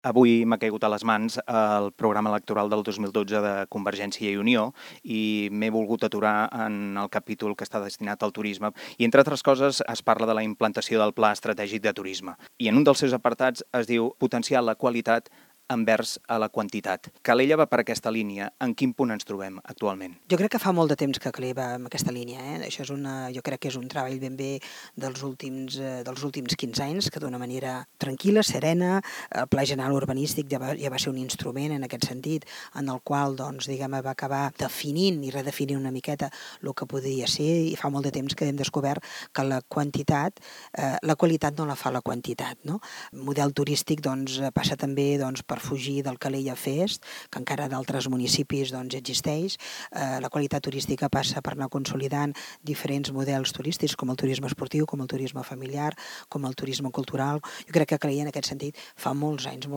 Avui m'ha caigut a les mans el programa electoral del 2012 de Convergència i Unió i m'he volgut aturar en el capítol que està destinat al turisme i, entre altres coses, es parla de la implantació del Pla Estratègic de Turisme. I en un dels seus apartats es diu potenciar la qualitat envers a la quantitat. Calella va per aquesta línia. En quin punt ens trobem actualment? Jo crec que fa molt de temps que Calella va en aquesta línia. Això jo crec que és un treball ben bé dels últims 15 anys, que d'una manera tranquil·la, serena, el Pla General Urbanístic ja va ser un instrument en aquest sentit, en el qual va acabar definint i redefinint una miqueta el que podria ser, i fa molt de temps que hem descobert que la qualitat no la fa la quantitat. No? El model turístic passa també per fugir del Calella Fest, que encara d'altres municipis existeix. La qualitat turística passa per anar consolidant diferents models turístics, com el turisme esportiu, com el turisme familiar, com el turisme cultural. Jo crec que Calella, en aquest sentit, fa molts anys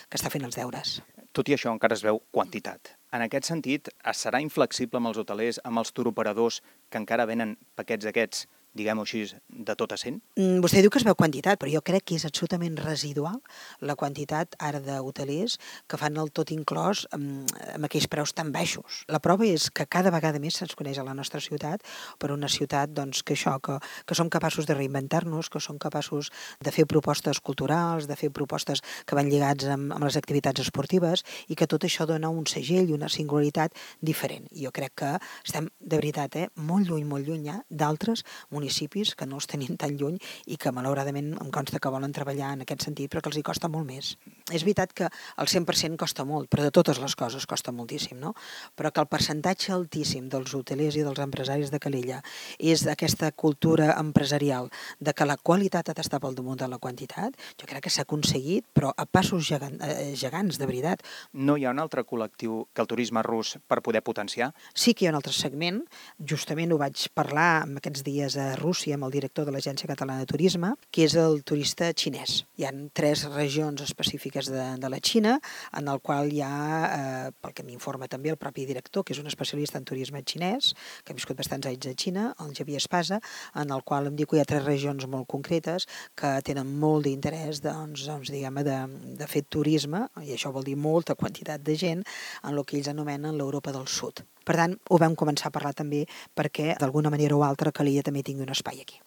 que està fent els deures. Tot i això, encara es veu quantitat. En aquest sentit, es serà inflexible amb els hotelers, amb els turoperadors que encara venen paquets aquests, diguem-ho així, de tot a 100? Vostè diu que es veu quantitat, però jo crec que és absolutament residual la quantitat ara d'hotelers que fan el tot inclòs amb aquells preus tan baixos. La prova és que cada vegada més se'ns coneix a la nostra ciutat per una ciutat que som capaços de reinventar-nos, que som capaços de fer propostes culturals, de fer propostes que van lligats amb les activitats esportives i que tot això dona un segell i una singularitat diferent. I jo crec que estem, de veritat, molt lluny d'altres municipis que no els tenim tan lluny i que malauradament em consta que volen treballar en aquest sentit però que els hi costa molt més. És veritat que el 100% costa molt, però de totes les coses costa moltíssim, no? Però que el percentatge altíssim dels hotelers i dels empresaris de Calella és aquesta cultura empresarial de que la qualitat ha d'estar pel damunt de la quantitat, jo crec que s'ha aconseguit, però a passos gegants, de veritat. No hi ha un altre col·lectiu que el turisme rus per poder potenciar? Sí que hi ha un altre segment, justament ho vaig parlar en aquests dies a Rússia amb el director de l'Agència Catalana de Turisme, que és el turista xinès. Hi ha 3 regions específiques de la Xina, en el qual hi ha, pel que m'informa també el propi director, que és un especialista en turisme xinès, que ha viscut bastants anys a Xina, el Javier Espasa, en el qual em diu que hi ha 3 regions molt concretes que tenen molt d'interès de fer turisme, i això vol dir molta quantitat de gent, en el que ells anomenen l'Europa del Sud. Per tant, ho vam començar a parlar també perquè, d'alguna manera o altra, Calella també tingui un espai aquí.